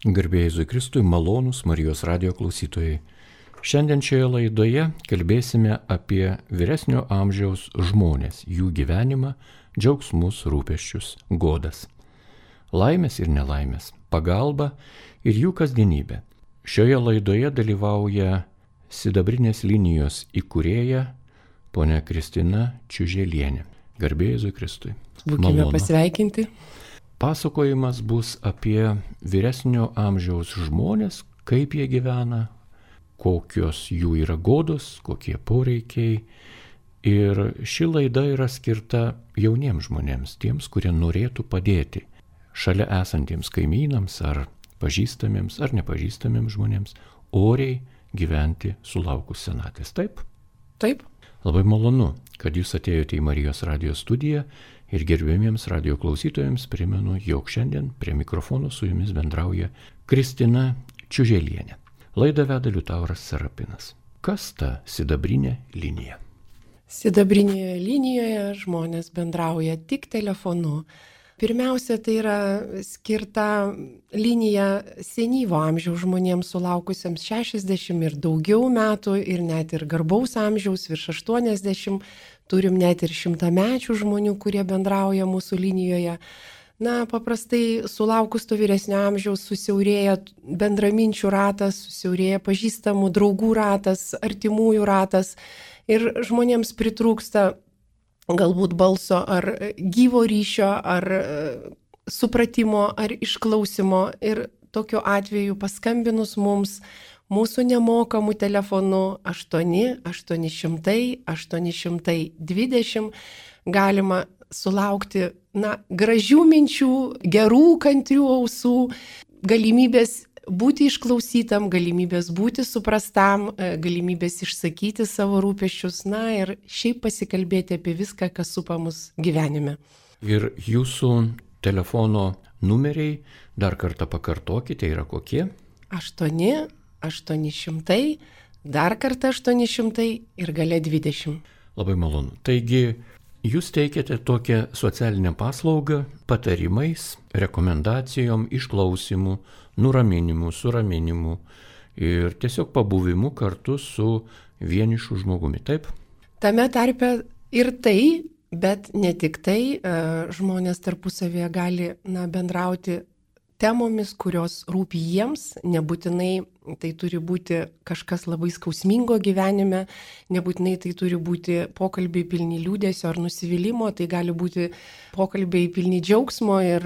Garbė Jėzui Kristui, malonūs Marijos radijo klausytojai. Šiandien šioje laidoje kalbėsime apie vyresnio amžiaus žmonės, jų gyvenimą, džiaugsmus, rūpesčius, godas, laimės ir nelaimės, pagalbą ir jų kasdienybę. Šioje laidoje dalyvauja Sidabrinės linijos įkūrėja ponia Kristina Čiuželienė. Garbė Jėzui Kristui. Būkime pasveikinti. Pasakojimas bus apie vyresnio amžiaus žmonės, kaip jie gyvena, kokios jų yra godos, kokie poreikiai. Ir ši laida yra skirta jauniems žmonėms, tiems, kurie norėtų padėti šalia esantiems kaimynams ar pažįstamiems ar nepažįstamiems žmonėms oriai gyventi sulaukus senatvės. Taip? Taip. Labai malonu, kad jūs atėjote į Marijos radijo studiją. Ir gerbėmiems radijo klausytojams primenu, jog šiandien prie mikrofono su jumis bendrauja Kristina Čiuželienė. Laidą veda Liutauras Serapinas. Kas ta sidabrinė linija? Sidabrinėje linijoje žmonės bendrauja tik telefonu. Pirmiausia, tai yra skirta linija senyvo amžiaus žmonėms sulaukusiems 60 ir daugiau metų ir net ir garbaus amžiaus virš 80. Turim net ir 100-mečių žmonių, kurie bendrauja mūsų linijoje. Na, paprastai sulaukus to vyresnio amžiaus susiaurėja bendraminčių ratas, susiaurėja pažįstamų draugų ratas, artimųjų ratas ir žmonėms pritrūksta galbūt balso ar gyvo ryšio, ar supratimo, ar išklausimo. Ir tokiu atveju paskambinus mums mūsų nemokamų telefonų 8-800-820 galima sulaukti gražių minčių, gerų kantrių ausų, galimybės būti išklausytam, galimybės būti suprastam, galimybės išsakyti savo rūpesčius, ir šiaip pasikalbėti apie viską, kas supa mus gyvenime. Ir jūsų telefono numeriai, dar kartą pakartokite, yra kokie? 8-800, dar kartą 800 ir gale 20. Labai malonu. Taigi, jūs teikiate tokią socialinę paslaugą patarimais, rekomendacijom, išklausimu, nuraminimu, suraminimu ir tiesiog pabuvimu kartu su vienišu žmogumi, taip? Tame tarpe ir tai, bet ne tik tai, žmonės tarpusavėje gali bendrauti temomis, kurios rūpi jiems, nebūtinai tai turi būti kažkas labai skausmingo gyvenime, nebūtinai tai turi būti pokalbiai pilni liūdesio ar nusivylimo, tai gali būti pokalbiai pilni džiaugsmo ir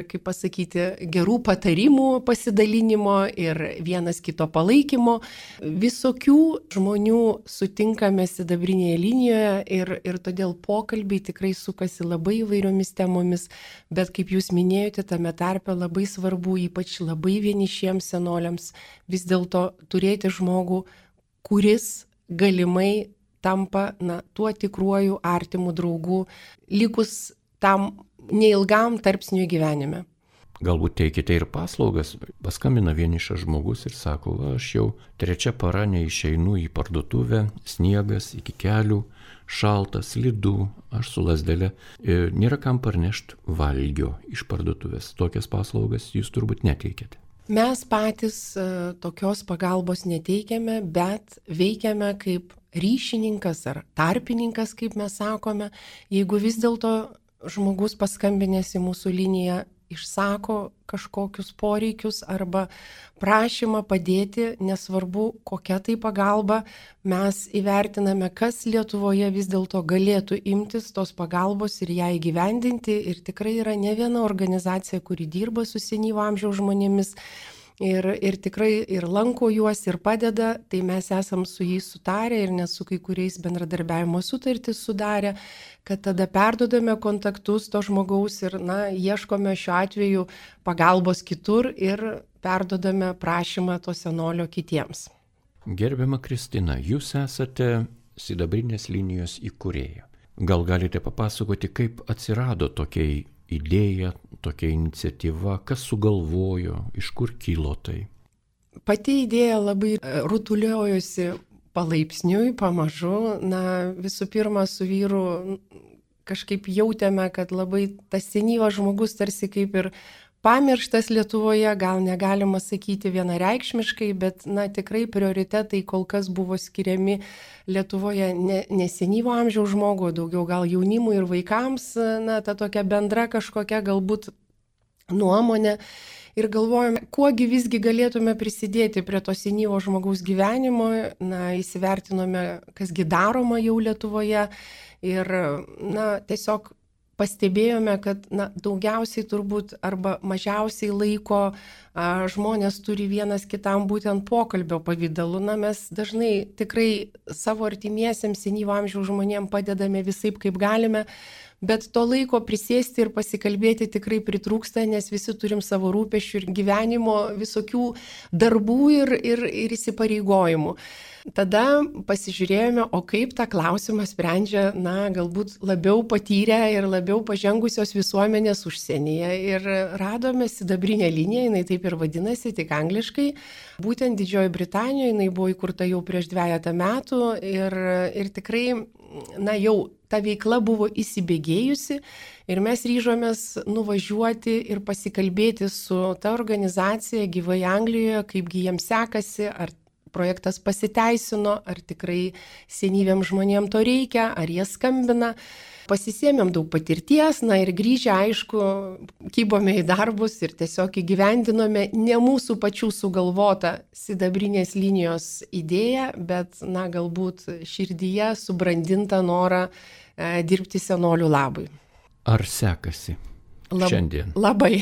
kaip pasakyti, gerų patarimų pasidalinimo ir vienas kito palaikymo. Visokių žmonių sutinkame sidabrinėje linijoje ir todėl pokalbiai tikrai sukasi labai įvairiomis temomis, bet kaip jūs minėjote, tame tarpe labai svarbu, ypač labai vienišiems senoliams, vis dėlto turėti žmogų, kuris galimai tampa tuo tikruoju artimu draugu, likus tam neilgam tarpsniui gyvenime. Galbūt teikite ir paslaugas. Paskambina vienišas žmogus ir sako, aš jau 3 para neišeinu į parduotuvę, sniegas iki kelių, šalta, slidu, aš su lazdele, nėra kam parnešti valgio iš parduotuvės. Tokias paslaugas jūs turbūt neteikėte. Mes patys tokios pagalbos neteikiame, bet veikiame kaip ryšininkas ar tarpininkas, kaip mes sakome. Jeigu vis dėlto žmogus paskambinęs į mūsų liniją išsako kažkokius poreikius arba prašymą padėti, nesvarbu kokia tai pagalba, mes įvertiname, kas Lietuvoje vis dėlto galėtų imtis tos pagalbos ir ją įgyvendinti. Ir tikrai yra ne viena organizacija, kuri dirba su senyvo amžiaus žmonėmis ir tikrai ir lanko juos ir padeda, tai mes esam su jais sutarę ir net su kai kuriais bendradarbiavimo sutartis sudarę, kad tada perdodame kontaktus to žmogaus ir ieškome šiuo atveju pagalbos kitur ir perdodame prašymą to senolio kitiems. Gerbiama Kristina, jūs esate sidabrinės linijos įkūrėja. Gal galite papasakoti, kaip atsirado tokia idėja, tokia iniciatyva, kas sugalvojo, iš kur kilo tai? Pati idėja labai rutuliojosi palaipsniui, pamažu. Visų pirma, su vyru kažkaip jautėme, kad labai tas senyvas žmogus tarsi kaip ir pamirštas Lietuvoje, gal negalima sakyti vienareikšmiškai, bet tikrai prioritetai kol kas buvo skiriami Lietuvoje ne senyvo amžiaus žmogų, daugiau gal jaunimui ir vaikams, ta tokia bendra kažkokia galbūt nuomonė. Ir galvojame, kuogi visgi galėtume prisidėti prie to senyvo žmogaus gyvenimo, įsivertinome, kasgi daroma jau Lietuvoje ir tiesiog pastebėjome, kad daugiausiai turbūt arba mažiausiai laiko žmonės turi vienas kitam būtent pokalbio pavidalu. Mes dažnai tikrai savo artimiesiems senyvo amžiaus žmonėms padedame visaip kaip galime, bet to laiko prisėsti ir pasikalbėti tikrai pritrūksta, nes visi turim savo rūpesčių ir gyvenimo visokių darbų ir įsipareigojimų. Tada pasižiūrėjome, o kaip tą klausimą sprendžia, galbūt labiau patyrę ir labiau pažengusios visuomenės užsienyje. Ir radome sidabrinę liniją, jinai taip ir vadinasi, tik angliškai. Būtent Didžiojoje Britanijoje, jinai buvo įkurta jau prieš 2 metų ir tikrai, jau ta veikla buvo įsibėgėjusi ir mes ryžomės nuvažiuoti ir pasikalbėti su ta organizacija gyvai Anglijoje, kaipgi jiems sekasi, ar projektas pasiteisino, ar tikrai senyviems žmonėms to reikia, ar jie skambina. Pasisėmėm daug patirties, ir grįžę, aišku, kybome į darbus ir tiesiog įgyvendinome ne mūsų pačių sugalvotą sidabrinės linijos idėją, bet, galbūt širdyje subrandintą norą dirbti senolių labui. Ar sekasi šiandien? Labai.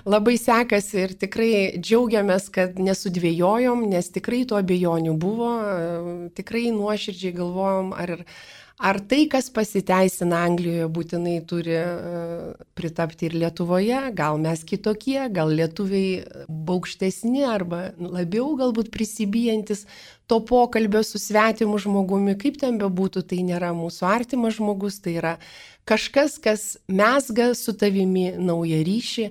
Labai sekasi ir tikrai džiaugiamės, kad nesudvėjojom, nes tikrai tų abejonių buvo, tikrai nuoširdžiai galvojom, ar tai, kas pasiteisina Anglijoje, būtinai turi pritapti ir Lietuvoje, gal mes kitokie, gal lietuviai baukštesni arba labiau galbūt prisibijantis to pokalbio su svetimu žmogumi, kaip ten bebūtų, tai nėra mūsų artimas žmogus, tai yra kažkas, kas mezga su tavimi naują ryšį,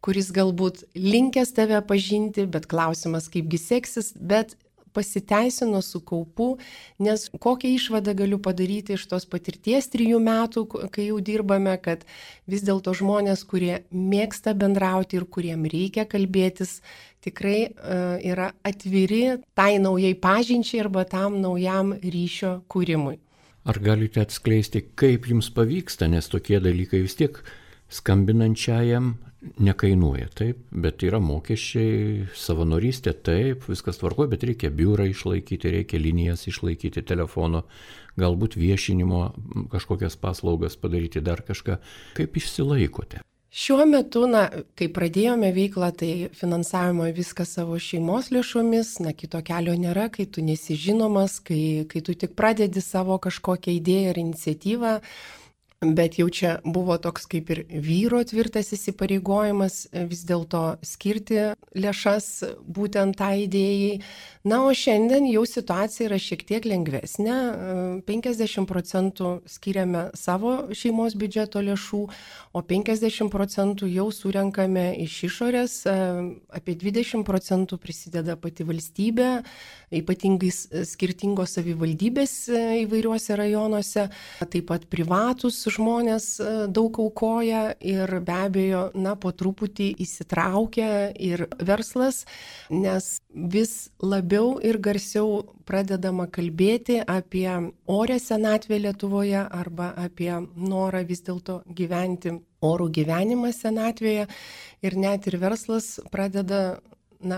kuris galbūt linkęs tave pažinti, bet klausimas kaipgi seksis, bet pasiteisino su kaupu, nes kokią išvadą galiu padaryti iš tos patirties 3 metų, kai jau dirbame, kad vis dėlto žmonės, kurie mėgsta bendrauti ir kuriem reikia kalbėtis, tikrai yra atviri tai naujai pažinčiai arba tam naujam ryšio kūrimui. Ar galite atskleisti, kaip jums pavyksta, nes tokie dalykai vis tiek skambinančiajam nekainuoja, taip, bet yra mokesčiai, savanorystė, taip, viskas tvarkoja, bet reikia biurą išlaikyti, reikia linijas išlaikyti, telefono, galbūt viešinimo kažkokias paslaugas padaryti, dar kažką. Kaip išsilaikote? Šiuo metu, kai pradėjome veiklą, tai finansavimo viską savo šeimos lėšomis, kito kelio nėra, kai tu nesi žinomas, kai tu tik pradedi savo kažkokią idėją ir iniciatyvą, bet jau čia buvo toks kaip ir vyro tvirtas įsipareigojimas vis dėlto skirti lėšas būtent tą idėjai. O šiandien jau situacija yra šiek tiek lengvesnė, 50% skiriame savo šeimos biudžeto lėšų, o 50% jau surenkame iš išorės, apie 20% prisideda pati valstybė, ypatingai skirtingos savivaldybės įvairiuose rajonuose, taip pat privatus žmonės daug aukoja ir be abejo, po truputį įsitraukia ir verslas, nes vis labiau ir garsiau pradedama kalbėti apie orę senatvę Lietuvoje arba apie norą vis dėlto gyventi orų gyvenimą senatvėje ir net ir verslas pradeda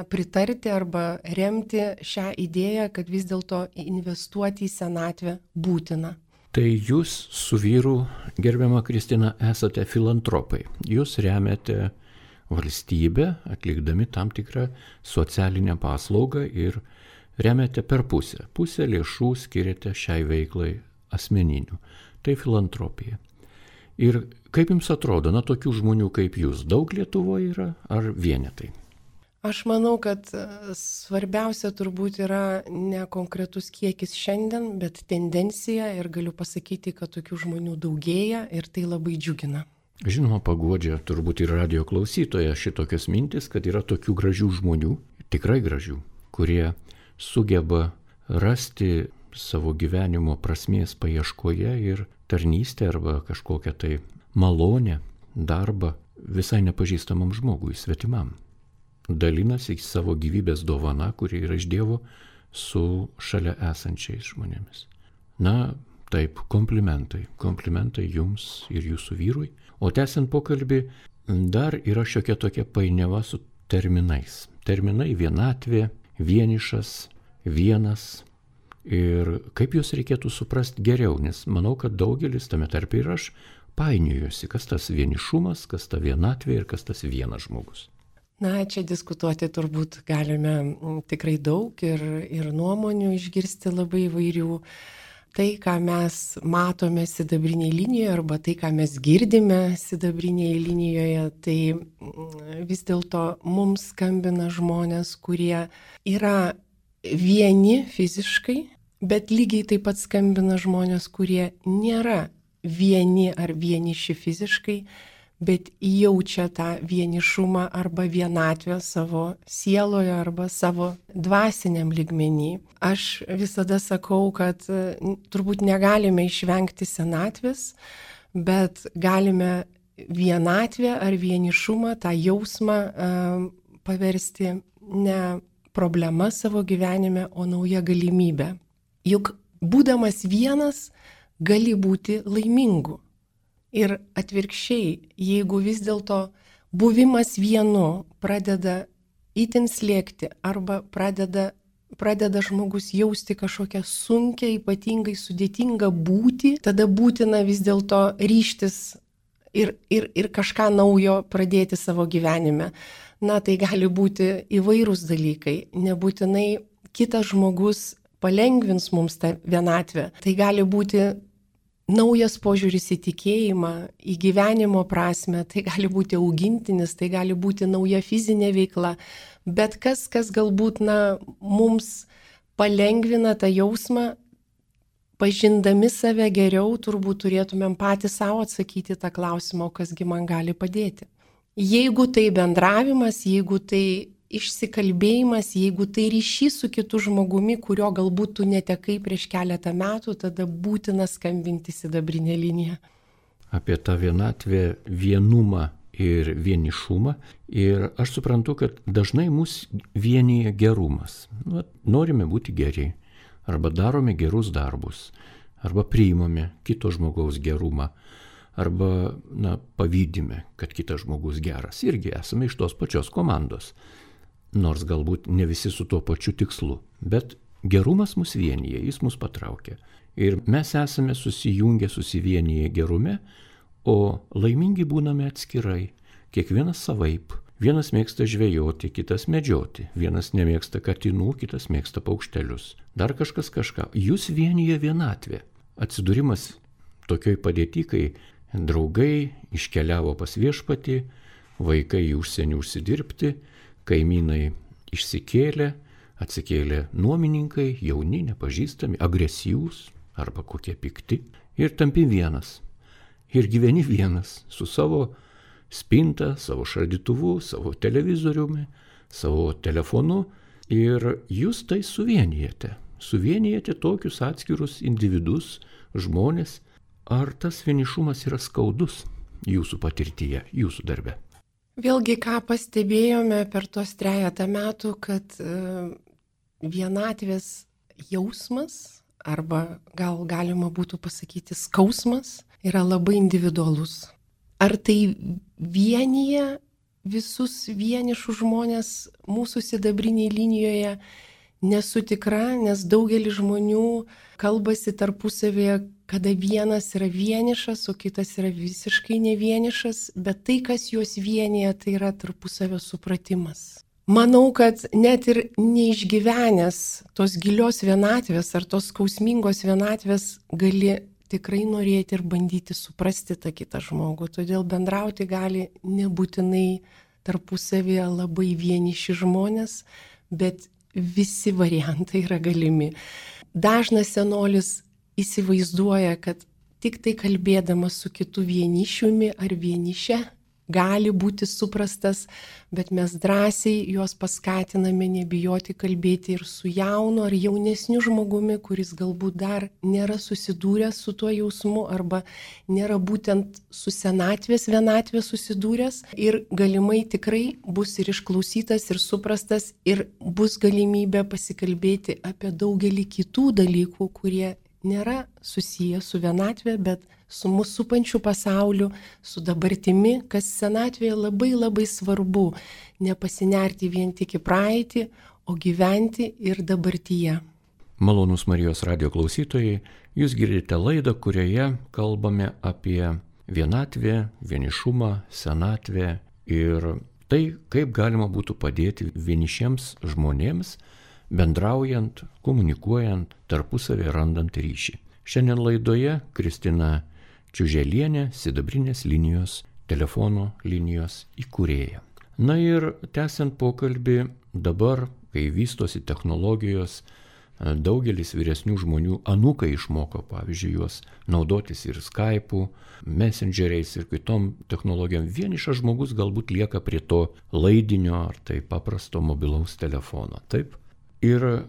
pritarti arba remti šią idėją, kad vis dėlto investuoti į senatvę būtina. Tai jūs su vyru, gerbiama Kristina, esate filantropai. Jūs remiate valstybę, atlikdami tam tikrą socialinę paslaugą ir remiate per pusę. Pusę lėšų skiriate šiai veiklai asmeninių. Tai filantropija. Ir kaip jums atrodo, tokių žmonių kaip jūs daug Lietuvoje yra ar vienetai? Aš manau, kad svarbiausia turbūt yra ne konkretus kiekis šiandien, bet tendencija ir galiu pasakyti, kad tokių žmonių daugėja ir tai labai džiugina. Žinoma, paguodžia turbūt ir radijo klausytoja šitokios mintis, kad yra tokių gražių žmonių, tikrai gražių, kurie sugeba rasti savo gyvenimo prasmės paieškoje ir tarnystę arba kažkokią tai malonę, darbą visai nepažįstamam žmogui, svetimam. Dalinasi savo gyvybės dovana, kuri yra iš Dievo, su šalia esančiais žmonėmis. Na, taip, komplimentai jums ir jūsų vyrui. O tęsiant pokalbį, dar yra šiokia tokia painiava su terminais. Terminai vienatvė, vienišas, vienas. Ir kaip juos reikėtų suprasti geriau, nes manau, kad daugelis, tame tarpe ir aš, painiojuosi, kas tas vienišumas, kas ta vienatvė ir kas tas vienas žmogus. Na, čia diskutuoti turbūt galime tikrai daug ir nuomonių išgirsti labai įvairių. Tai, ką mes matome sidabrinėje linijoje arba tai, ką mes girdime sidabrinėje linijoje, tai vis dėlto mums skambina žmonės, kurie yra vieni fiziškai, bet lygiai taip pat skambina žmonės, kurie nėra vieni ar vieniši fiziškai, bet jaučia tą vienišumą arba vienatvę savo sieloje arba savo dvasiniam lygmenį. Aš visada sakau, kad turbūt negalime išvengti senatvės, bet galime vienatvę ar vienišumą, tą jausmą paversti ne problema savo gyvenime, o nauja galimybė. Juk būdamas vienas gali būti laimingu. Ir atvirkščiai, jeigu vis dėlto buvimas vienu pradeda itin slėgti arba pradeda žmogus jausti kažkokią sunkią, ypatingai sudėtingą būtį, tada būtina vis dėlto ryžtis ir kažką naujo pradėti savo gyvenime. Na, tai gali būti įvairūs dalykai, nebūtinai kitas žmogus palengvins mums tą vienatvę. Tai gali būti naujas požiūris į tikėjimą, į gyvenimo prasme, tai gali būti augintinis, tai gali būti nauja fizinė veikla, bet kas galbūt mums palengvina tą jausmą, pažindami save geriau, turbūt turėtumėm patys savo atsakyti tą klausimą, kasgi man gali padėti. Jeigu tai bendravimas, jeigu tai išsikalbėjimas, jeigu tai ryšys su kitu žmogumi, kurio galbūt tu netekai prieš keletą metų, tada būtina skambinti sidabrinę liniją. Apie tą vienatvę, vienumą ir vienišumą. Ir aš suprantu, kad dažnai mus vienyje gerumas. Norime būti geri, arba darome gerus darbus, arba priimame kito žmogaus gerumą, arba pavydime, kad kitas žmogus geras. Irgi esame iš tos pačios komandos. Nors galbūt ne visi su tuo pačiu tikslu, bet gerumas mus vienyje, jis mus patraukia. Ir mes esame susijungę, susivienyje gerume, o laimingi būname atskirai, kiekvienas savaip. Vienas mėgsta žvejoti, kitas medžioti, vienas nemėgsta katinų, kitas mėgsta paukštelius. Dar kažkas kažką. Jūs vienyje vienatvė. Atsidūrimas tokioj padėty, kai draugai iškeliavo pas viešpatį, vaikai į užsienį užsidirbti, kaimynai išsikėlė, atsikėlė nuomininkai, jauni, nepažįstami, agresyvūs arba kokie pikti ir tampi vienas. Ir gyveni vienas su savo spinta, savo šaldytuvu, savo televizoriumi, savo telefonu ir jūs tai suvienijate. Suvienijate tokius atskirus individus, žmonės. Ar tas vienišumas yra skaudus jūsų patirtyje, jūsų darbe? Vėlgi, ką pastebėjome per tos 3 metų, kad vienatvės jausmas, arba gal galima būtų pasakyti skausmas, yra labai individualus. Ar tai vienyje visus vienišus žmonės mūsų sidabrinėje linijoje, nesu tikra, nes daugelis žmonių kalbasi tarpusavėje, kada vienas yra vienišas, o kitas yra visiškai nevienišas, bet tai, kas juos vienyje, tai yra tarpusavio supratimas. Manau, kad net ir neišgyvenęs tos gilios vienatvės ar tos skausmingos vienatvės gali tikrai norėti ir bandyti suprasti tą kitą žmogų. Todėl bendrauti gali nebūtinai tarpusavėje labai vieniši žmonės, bet visi variantai yra galimi. Dažnas senolis įsivaizduoja, kad tik tai kalbėdamas su kitu vienišiumi ar vieniše gali būti suprastas, bet mes drąsiai juos paskatiname nebijoti kalbėti ir su jaunu ar jaunesniu žmogumi, kuris galbūt dar nėra susidūręs su tuo jausmu arba nėra būtent su senatvės, vienatvės susidūręs ir galimai tikrai bus ir išklausytas, ir suprastas, ir bus galimybė pasikalbėti apie daugelį kitų dalykų, kurie nėra susiję su vienatvė, bet su mūsų supančiu pasauliu, su dabartimi, kas senatvėje labai labai svarbu, nepasinerti vien tik į praeitį, o gyventi ir dabartyje. Malonūs Marijos radijo klausytojai, jūs girdite laidą, kurioje kalbame apie vienatvę, vienišumą, senatvę ir tai, kaip galima būtų padėti vienišiems žmonėms, bendraujant, komunikuojant, tarpusavį randant ryšį. Šiandien laidoje Kristina Čiuželienė, Sidabrinės linijos, telefono linijos įkūrėja. Na ir tęsiant pokalbį, dabar, kai vystosi technologijos, daugelis vyresnių žmonių anūkai išmoko, pavyzdžiui, juos naudotis ir Skype'u, Messengeriais ir kitom technologijom. Vienišas žmogus galbūt lieka prie to laidinio ar tai paprasto mobilaus telefono. Taip? Ir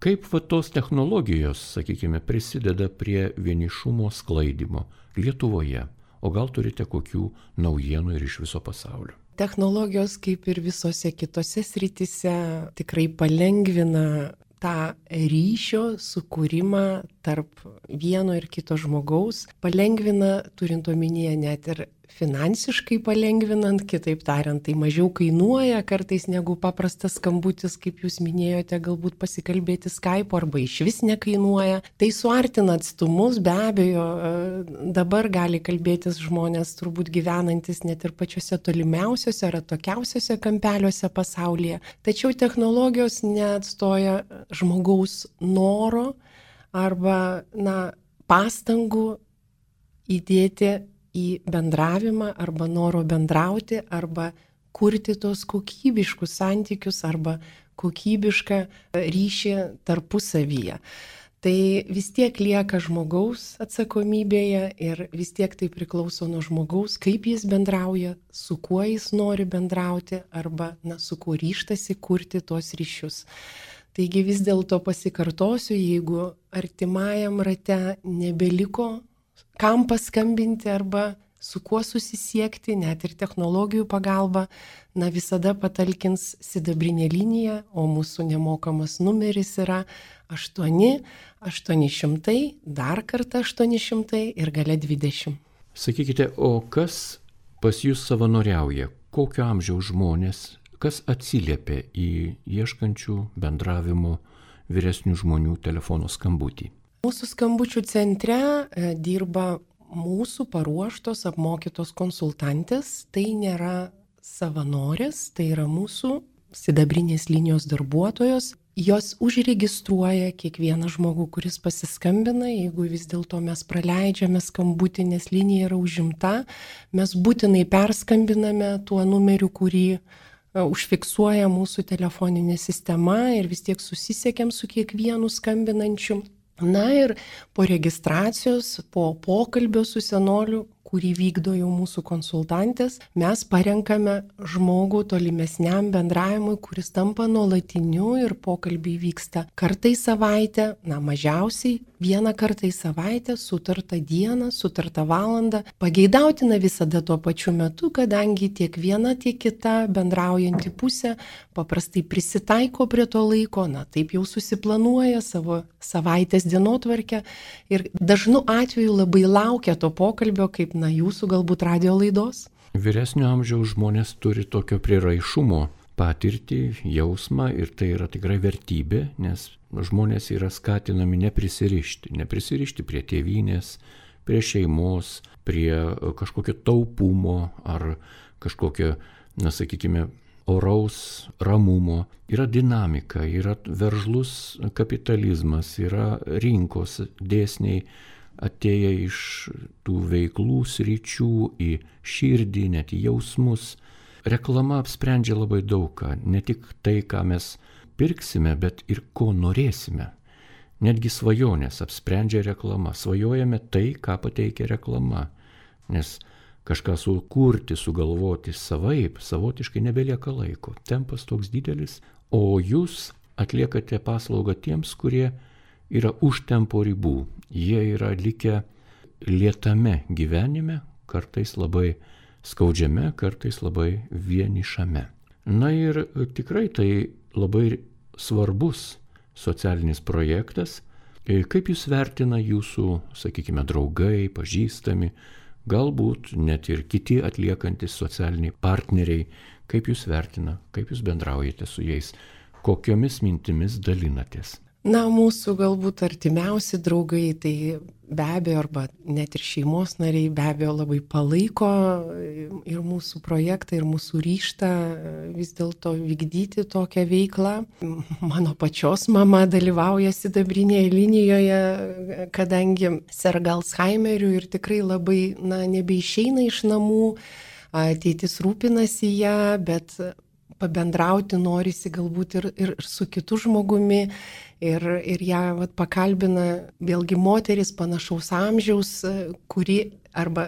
kaip tos technologijos, sakykime, prisideda prie vienišumo sklaidimo Lietuvoje? O gal turite kokių naujienų ir iš viso pasaulio? Technologijos, kaip ir visose kitose srityse, tikrai palengvina tą ryšio sukūrimą tarp vieno ir kito žmogaus, palengvina, turint omenyje net ir finansiškai palengvinant, kitaip tariant, tai mažiau kainuoja kartais negu paprastas skambutis, kaip jūs minėjote, galbūt pasikalbėti Skype arba išvis nekainuoja. Tai suartina atstumus, be abejo, dabar gali kalbėtis žmonės turbūt gyvenantis net ir pačiuose tolimiausiuose ar atokiausiuose kampeliuose pasaulyje. Tačiau technologijos neatstoja žmogaus noro arba pastangų įdėti į bendravimą arba noro bendrauti arba kurti tos kokybiškus santykius arba kokybišką ryšį tarpusavyje. Tai vis tiek lieka žmogaus atsakomybėje ir vis tiek tai priklauso nuo žmogaus, kaip jis bendrauja, su kuo jis nori bendrauti arba su kuo ryžtasi kurti tuos ryšius. Taigi vis dėlto pasikartosiu, jeigu artimajam rate nebeliko kam paskambinti arba su kuo susisiekti, net ir technologijų pagalba, visada patalkins Sidabrinė linija, o mūsų nemokamas numeris yra 8-800, dar kartą 800 ir gale 20. Sakykite, o kas pas jūs savanoriauja? Kokio amžiaus žmonės? Kas atsiliepia į ieškančių bendravimo vyresnių žmonių telefono skambutį? Mūsų skambučių centre dirba mūsų paruoštos, apmokytos konsultantės. Tai nėra savanorės, tai yra mūsų Sidabrinės linijos darbuotojos. Jos užregistruoja kiekvieną žmogų, kuris pasiskambina. Jeigu vis dėlto mes praleidžiame skambutį, nes linija yra užimta, mes būtinai perskambiname tuo numeriu, kurį užfiksuoja mūsų telefoninė sistema ir vis tiek susisiekiam su kiekvienu skambinančiu. Ir po registracijos, po pokalbio su senoliu, kurį vykdo jau mūsų konsultantės, mes parenkame žmogų tolimesniam bendravimui, kuris tampa nuolatiniu ir pokalbiai vyksta kartą į savaitę, mažiausiai vieną kartą į savaitę, sutartą dieną, sutartą valandą. Pageidautina visada tuo pačiu metu, kadangi tiek viena, tiek kita bendraujanti pusė paprastai prisitaiko prie to laiko, taip jau susiplanuoja savo savaitės dienotvarkę ir dažnu atveju labai laukia to pokalbio, kaip jūsų galbūt radijo laidos. Vyresnio amžiaus žmonės turi tokio priraišumo patirtį, jausmą ir tai yra tikrai vertybė, nes žmonės yra skatinami neprisirišti prie tėvynės, prie šeimos, prie kažkokio taupumo ar kažkokio, sakykime, oraus ramumo. Yra dinamika, yra veržlus kapitalizmas, yra rinkos dėsniai atėję iš tų veiklų sričių į širdį, net į jausmus. Reklama apsprendžia labai daug ką, ne tik tai, ką mes pirksime, bet ir ko norėsime. Netgi svajonės apsprendžia reklama. Svajojame tai, ką pateikia reklama. Nes kažką sukurti, sugalvoti savaip, savotiškai nebelieka laiko. Tempas toks didelis, o jūs atliekate paslaugą tiems, kurie yra už tempo ribų. Jie yra likę lėtame gyvenime, kartais labai skaudžiame, kartais labai vienišame. Na ir tikrai tai labai svarbus socialinis projektas. Kaip jūs vertina jūsų, sakykime, draugai, pažįstami, galbūt net ir kiti atliekantis socialiniai partneriai, kaip jūs vertina, kaip jūs bendraujate su jais, kokiomis mintimis dalinatės? Na, mūsų galbūt artimiausi draugai, tai be abejo, arba net ir šeimos nariai be abejo labai palaiko ir mūsų projektą, ir mūsų ryžtą vis dėlto vykdyti tokią veiklą. Mano pačios mama dalyvauja sidabrinėje linijoje, kadangi serga Alzheimeriu ir tikrai labai, nebeišeina iš namų, tėtis rūpinasi ją, bet pabendrauti norisi galbūt ir su kitu žmogumi. Ir ją pakalbina vėlgi moteris panašaus amžiaus, kuri, arba,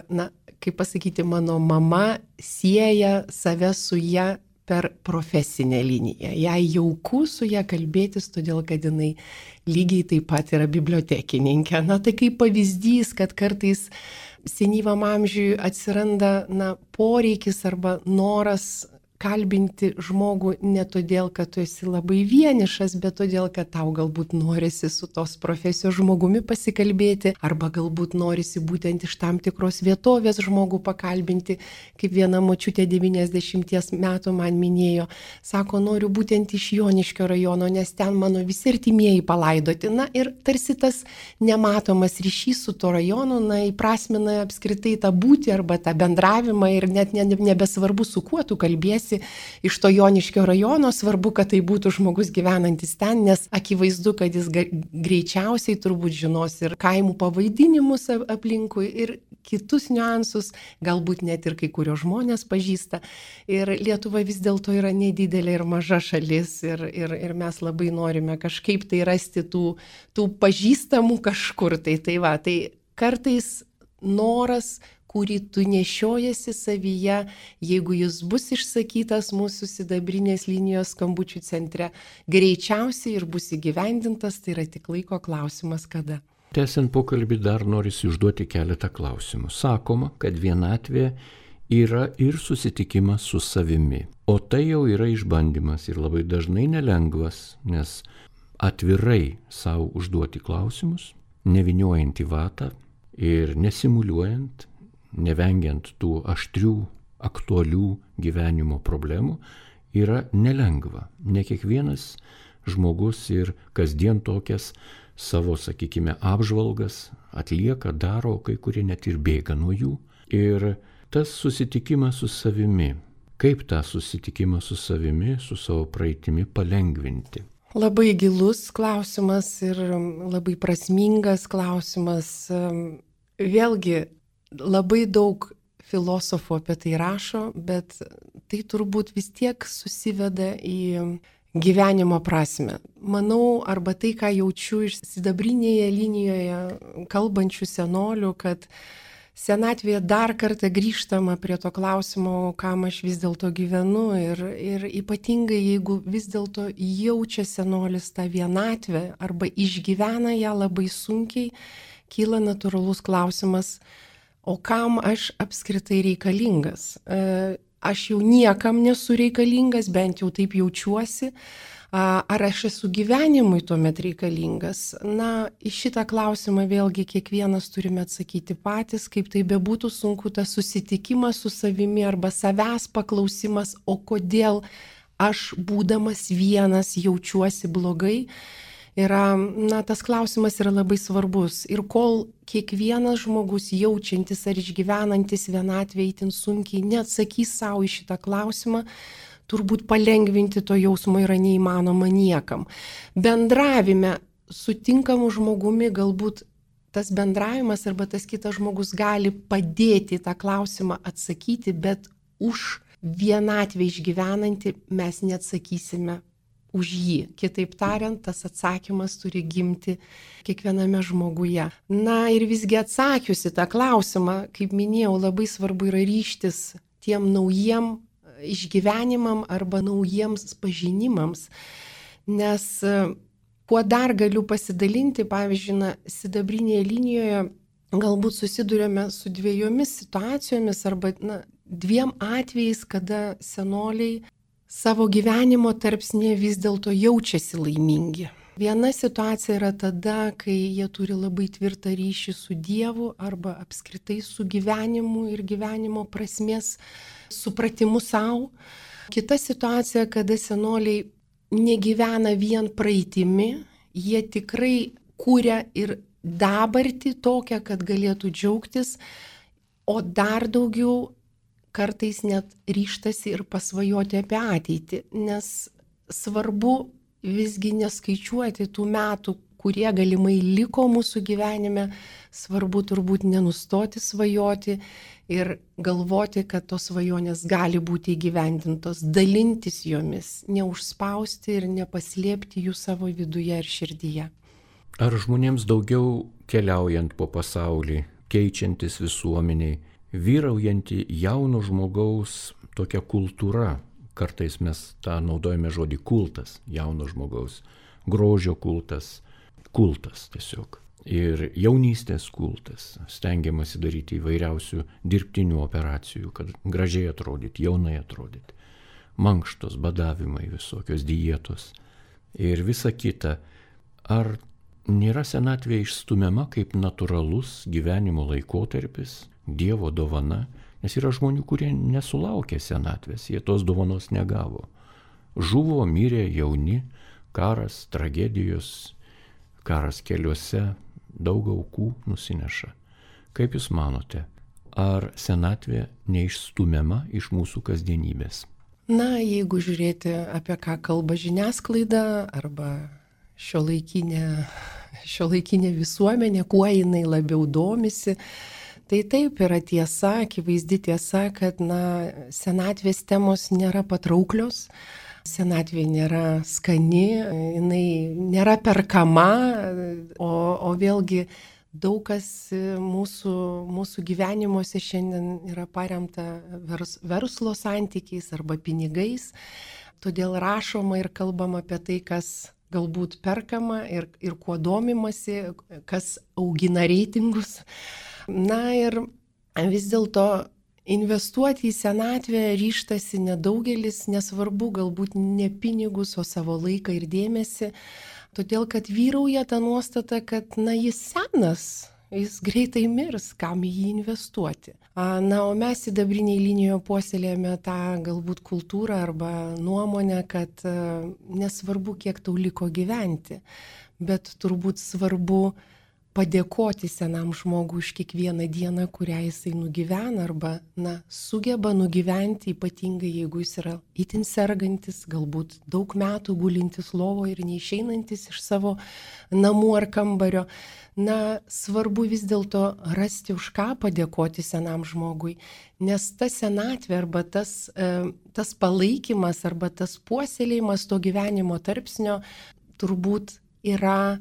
kaip pasakyti, mano mama sieja save su ją per profesinę liniją. Jai jauku su ją kalbėtis, todėl kad jinai lygiai taip pat yra bibliotekininkė. Tai kaip pavyzdys, kad kartais senyvam amžiui atsiranda poreikis arba noras kalbinti žmogų ne todėl, kad tu esi labai vienišas, bet todėl, kad tau galbūt norisi su tos profesijos žmogumi pasikalbėti, arba galbūt norisi būtent iš tam tikros vietovės žmogų pakalbinti, kaip viena močiutė 90 metų man minėjo, sako, noriu būtent iš Joniškio rajono, nes ten mano visi artimieji palaidoti. Ir tarsi tas nematomas ryšys su to rajonu, įprasmina apskritai tą būtį arba tą bendravimą ir net nebesvarbu, su kuo tu kalbėsi. Iš to Joniškio rajono, svarbu, kad tai būtų žmogus gyvenantis ten, nes akivaizdu, kad jis greičiausiai turbūt žinos ir kaimų pavadinimus aplinkui ir kitus niuansus, galbūt net ir kai kurios žmonės pažįsta. Ir Lietuva vis dėlto yra nedidelė ir maža šalis ir mes labai norime kažkaip tai rasti tų pažįstamų kažkur. Tai kartais noras, kurį tu nešiojasi savyje, jeigu jis bus išsakytas mūsų sidabrinės linijos skambučių centre, greičiausiai ir bus įgyvendintas, tai yra tik laiko klausimas kada. Tęsiant pokalbį dar norisi užduoti keletą klausimų. Sakoma, kad vienatvė yra ir susitikimas su savimi, o tai jau yra išbandymas ir labai dažnai nelengvas, nes atvirai savo užduoti klausimus, nevyniojant į vatą ir nesimuliuojant, nevengiant tų aštrių, aktualių gyvenimo problemų, yra nelengva. Ne kiekvienas žmogus ir kasdien tokias savo, sakykime, apžvalgas atlieka, daro, kai kurie net ir bėga nuo jų. Ir tas susitikimas su savimi, kaip tą susitikimą su savimi, su savo praeitimi palengvinti? Labai gilus klausimas ir labai prasmingas klausimas. Vėlgi, labai daug filosofų apie tai rašo, bet tai turbūt vis tiek susiveda į gyvenimo prasme. Manau, arba tai, ką jaučiu iš sidabrinėje linijoje kalbančių senolių, kad senatvėje dar kartą grįžtama prie to klausimo, kam aš vis dėlto gyvenu ir ypatingai, jeigu vis dėlto jaučia senolis tą vienatvę arba išgyvena ją labai sunkiai, kyla natūralus klausimas, o kam aš apskritai reikalingas? Aš jau niekam nesu reikalingas, bent jau taip jaučiuosi. Ar aš esu gyvenimui tuomet reikalingas? Į šitą klausimą vėlgi kiekvienas turime atsakyti patys, kaip tai bebūtų sunku, tas susitikimas su savimi arba savęs paklausimas, o kodėl aš būdamas vienas jaučiuosi blogai. Tas klausimas yra labai svarbus. Ir kol kiekvienas žmogus jaučiantis ar išgyvenantis vienatvę itin sunkiai neatsakys savo į šitą klausimą, turbūt palengvinti to jausmo yra neįmanoma niekam. Bendravime su tinkamu žmogumi galbūt tas bendravimas arba tas kitas žmogus gali padėti tą klausimą atsakyti, bet už vienatvę išgyvenantį mes neatsakysime už jį. Kitaip tariant, tas atsakymas turi gimti kiekviename žmoguje. Na ir visgi atsakiusi tą klausimą, kaip minėjau, labai svarbu yra ryžtis tiem naujiem išgyvenimam arba naujiems pažinimams. Nes kuo dar galiu pasidalinti, pavyzdžiui, sidabrinėje linijoje galbūt susidurėme su dviejomis situacijomis arba dviem atvejais, kada senoliai savo gyvenimo tarpsnėje vis dėlto jaučiasi laimingi. Viena situacija yra tada, kai jie turi labai tvirtą ryšį su Dievu arba apskritai su gyvenimu ir gyvenimo prasmės supratimu savo. Kita situacija, kada senoliai negyvena vien praeitimi, jie tikrai kūria ir dabartį tokią, kad galėtų džiaugtis, o dar daugiau kartais net ryžtasi ir pasvajoti apie ateitį, nes svarbu visgi neskaičiuoti tų metų, kurie galimai liko mūsų gyvenime, svarbu turbūt nenustoti svajoti ir galvoti, kad tos svajonės gali būti įgyvendintos, dalintis jomis, neužspausti ir nepaslėpti jų savo viduje ir širdyje. Ar žmonėms daugiau keliaujant po pasaulį, keičiantis visuomeniai, vyraujanti jauno žmogaus tokia kultūra, kartais mes tą naudojame žodį kultas, jauno žmogaus, grožio kultas, kultas tiesiog. Ir jaunystės kultas, stengiamasi daryti įvairiausių dirbtinių operacijų, kad gražiai atrodyti, jaunai atrodyti. Mankštos, badavimai, visokios dietos ir visa kita. Ar nėra senatvė išstumiama kaip natūralus gyvenimo laikotarpis, Dievo dovana, nes yra žmonių, kurie nesulaukė senatvės, jie tos dovanos negavo. Žuvo, mirė jauni, karas, tragedijos, karas keliuose, daug aukų nusineša. Kaip Jūs manote, ar senatvė neišstumiama iš mūsų kasdienybės? Na, jeigu žiūrėti, apie ką kalba žiniasklaida arba šiuolaikinė visuomenė, kuo jinai labiau domisi, tai taip yra tiesa, akivaizdi tiesa, kad senatvės temos nėra patrauklios, senatvė nėra skani, jinai nėra perkama, o vėlgi daug kas mūsų gyvenimuose šiandien yra paremta verslo santykiais arba pinigais, todėl rašoma ir kalbama apie tai, kas galbūt perkama ir kuo domimasi, kas augina reitingus. Na ir vis dėlto investuoti į senatvę ryžtasi nedaugelis, nesvarbu galbūt ne pinigus, o savo laiką ir dėmesį, todėl kad vyrauja ta nuostata, kad jis senas, jis greitai mirs, kam į jį investuoti. Na, o mes sidabrinėje linijoje puoselėjame tą galbūt kultūrą arba nuomonę, kad nesvarbu, kiek tau liko gyventi, bet turbūt svarbu padėkoti senam žmogui už kiekvieną dieną, kurią jisai nugyvena arba sugeba nugyventi, ypatingai jeigu jis yra itin sergantis, galbūt daug metų gulintis lovoje ir neišeinantis iš savo namų ar kambario. Svarbu vis dėlto rasti, už ką padėkoti senam žmogui, nes ta senatvė arba tas palaikymas arba tas puoselėjimas to gyvenimo tarpsnio turbūt yra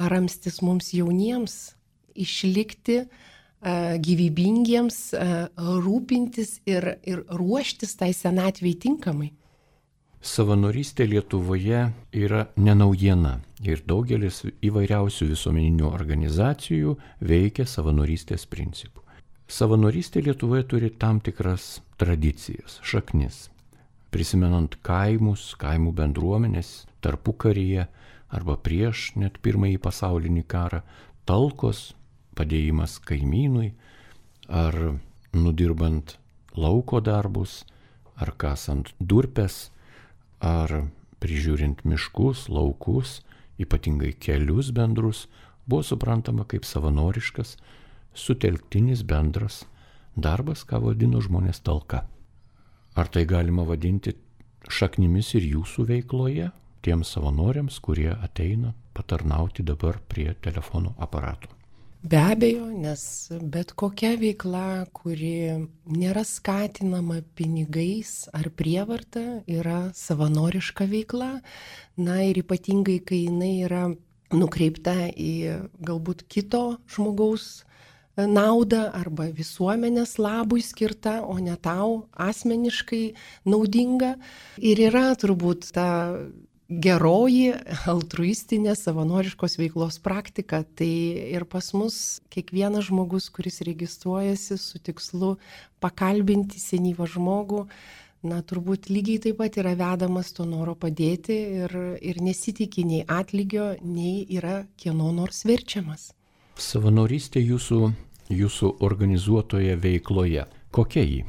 ramstis mums jauniems, išlikti gyvybingiems, rūpintis ir ruoštis tai senatvei tinkamai. Savanorystė Lietuvoje yra ne naujiena ir daugelis įvairiausių visuomeninių organizacijų veikia savanorystės principų. Savanorystė Lietuvoje turi tam tikras tradicijas, šaknis. Prisimenant kaimus, kaimų bendruomenės, tarpukaryje arba prieš net Pirmąjį pasaulinį karą, talkos, padėjimas kaimynui, ar nudirbant lauko darbus, ar kasant durpes, ar prižiūrint miškus, laukus, ypatingai kelius bendrus, buvo suprantama kaip savanoriškas, sutelktinis bendras darbas, ką vadino žmonės talka. Ar tai galima vadinti šaknimis ir jūsų veikloje, tiems savanoriams, kurie ateina patarnauti dabar prie telefono aparatų? Be abejo, nes bet kokia veikla, kuri nėra skatinama pinigais ar prievarta, yra savanoriška veikla. Na ir ypatingai, kai jinai yra nukreipta į galbūt kito žmogaus naudą arba visuomenės labui skirta, o ne tau asmeniškai naudinga. Ir yra turbūt ta geroji altruistinė savanoriškos veiklos praktika. Tai ir pas mus kiekvienas žmogus, kuris registruojasi su tikslu pakalbinti senyvą žmogų, turbūt lygiai taip pat yra vedamas to noro padėti ir nesitikė nei atlygio, nei yra kieno nors verčiamas. Savanorystė jūsų organizuotoje veikloje. Kokia ji?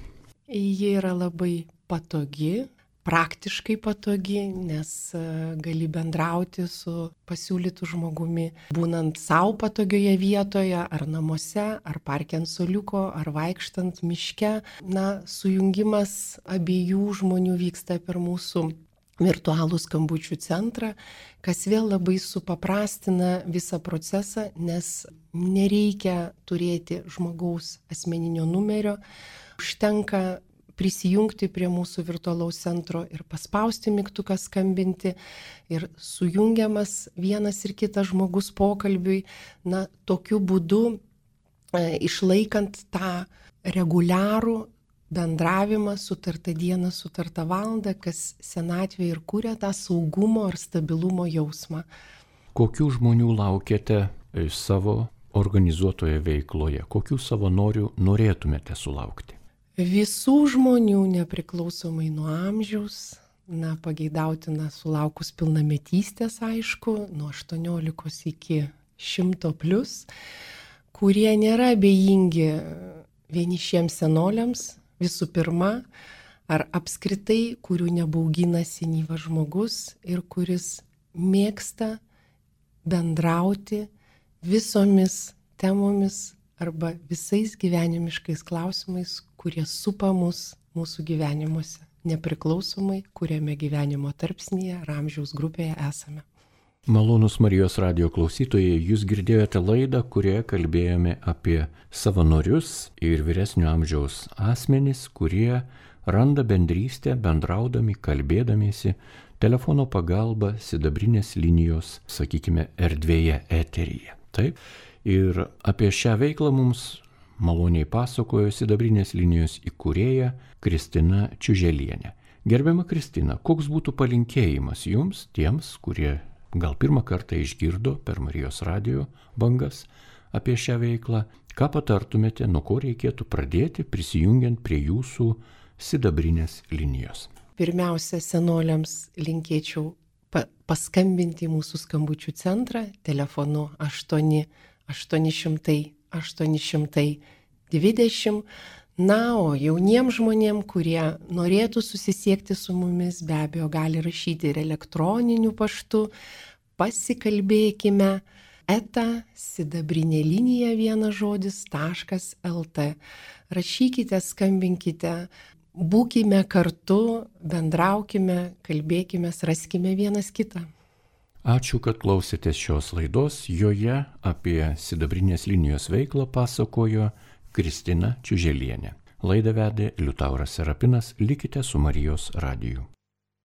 Ji yra labai patogi, praktiškai patogi, nes gali bendrauti su pasiūlytu žmogumi, būnant savo patogioje vietoje, ar namuose, ar parke ant suoliuko, ar vaikštant miške. Sujungimas abiejų žmonių vyksta per mūsų virtualų skambučių centrą, kas vėl labai supaprastina visą procesą, nes nereikia turėti žmogaus asmeninio numerio, užtenka prisijungti prie mūsų virtualaus centro ir paspausti mygtuką skambinti ir sujungiamas vienas ir kitas žmogus pokalbiui, tokiu būdu išlaikant tą reguliarų bendravimą, sutartą dieną, sutartą valandą, kas senatvėje ir kuria tą saugumo ir stabilumo jausmą. Kokių žmonių laukiate savo organizuotoje veikloje? Kokių savanorių norėtumėte sulaukti? Visų žmonių, nepriklausomai nuo amžiaus, pageidautina sulaukus pilnametystės, aišku, nuo 18 iki 100+, kurie nėra abejingi vienišiems senoliams, visų pirma, ar apskritai, kurių nebaugina senyvas žmogus ir kuris mėgsta bendrauti visomis temomis arba visais gyvenimiškais klausimais, kurie supa mus mūsų gyvenimuose, nepriklausomai, kuriame gyvenimo tarpsnyje ar amžiaus grupėje esame. Malonūs Marijos radijo klausytojai, jūs girdėjote laidą, kurioje kalbėjome apie savanorius ir vyresnio amžiaus asmenys, kurie randa bendrystę bendraudami, kalbėdamiesi telefono pagalba sidabrinės linijos, sakykime, erdvėje, eteryje. Taip? Ir apie šią veiklą mums maloniai pasakojo sidabrinės linijos įkūrėja Kristina Čiuželienė. Gerbiama Kristina, koks būtų palinkėjimas jums, tiems, kurie gal pirmą kartą išgirdo per Marijos radijo bangas apie šią veiklą, ką patartumėte, nuo ko reikėtų pradėti prisijungiant prie jūsų sidabrinės linijos? Pirmiausia, senoliams linkėčiau paskambinti į mūsų skambučių centrą telefonu 800-820. O jauniems žmonėm, kurie norėtų susisiekti su mumis, be abejo, gali rašyti ir elektroniniu paštu. Pasikalbėkime @sidabrinėlinija.lt. Rašykite, skambinkite, būkime kartu, bendraukime, kalbėkime, raskime vienas kitą. Ačiū, kad klausėtės šios laidos. Joje apie sidabrinės linijos veiklą pasakojo Kristina Čiuželienė. Laidą vedė Liutauras Serapinas. Likite su Marijos radiju.